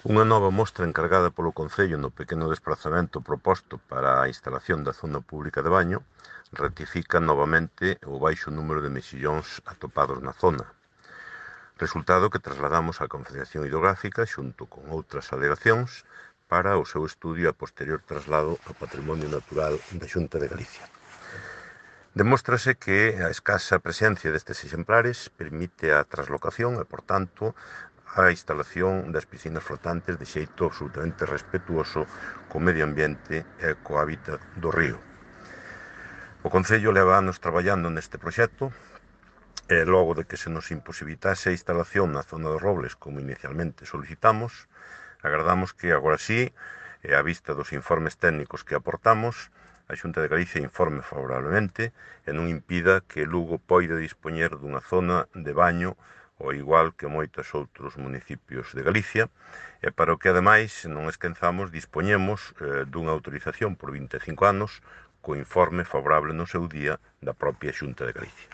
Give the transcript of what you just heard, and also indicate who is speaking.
Speaker 1: Unha nova mostra encargada polo Concello no pequeno desprazamento proposto para a instalación da zona pública de baño ratifica novamente o baixo número de mexillóns atopados na zona. Resultado que trasladamos á Confederación Hidrográfica xunto con outras alegacións para o seu estudio e a posterior traslado ao Patrimonio Natural da Xunta de Galicia. Demóstrase que a escasa presencia destes exemplares permite a traslocación e, por tanto, a instalación das piscinas flotantes de xeito absolutamente respetuoso co medio ambiente e co hábitat do río. O Concello leva anos traballando neste proxecto e logo de que se nos imposibilitase a instalación na zona dos Robles como inicialmente solicitamos, agardamos que agora sí, e á vista dos informes técnicos que aportamos, a Xunta de Galicia informe favorablemente e non impida que Lugo poida dispoñer dunha zona de baño ao igual que moitos outros municipios de Galicia, e para o que, ademais, non esquezamos, dispoñemos dunha autorización por 25 anos co informe favorable no seu día da propia Xunta de Galicia.